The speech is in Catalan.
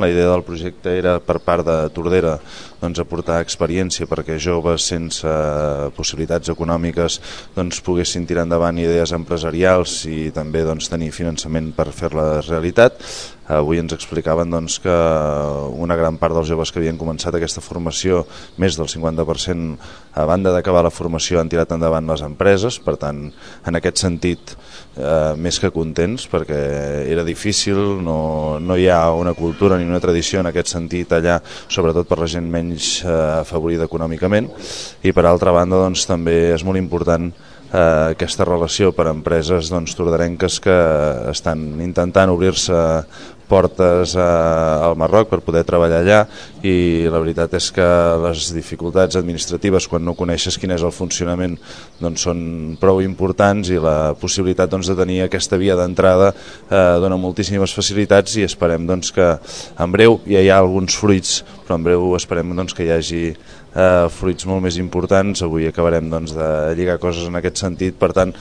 La idea del projecte era per part de Tordera aportar experiència perquè joves sense possibilitats econòmiques poguessin tirar endavant idees empresarials i també tenir finançament per fer-la realitat. Avui ens explicaven que una gran part dels joves que havien començat aquesta formació, més del 50%, a banda d'acabar la formació, han tirat endavant les empreses. Per tant, en aquest sentit, més que contents, perquè era difícil, no hi ha una cultura ni una tradició en aquest sentit allà, sobretot per la gent menys afavorida econòmicament. I per altra banda també és molt important aquesta relació per a empreses tordarenques que estan intentant obrir-se portes al Marroc per poder treballar allà, i la veritat és que les dificultats administratives quan no coneixes quin és el funcionament són prou importants, i la possibilitat de tenir aquesta via d'entrada dona moltíssimes facilitats, i esperem que en breu ja hi ha alguns fruits, però en breu esperem que hi hagi fruits molt més importants. Avui acabarem de lligar coses en aquest sentit. Per tant,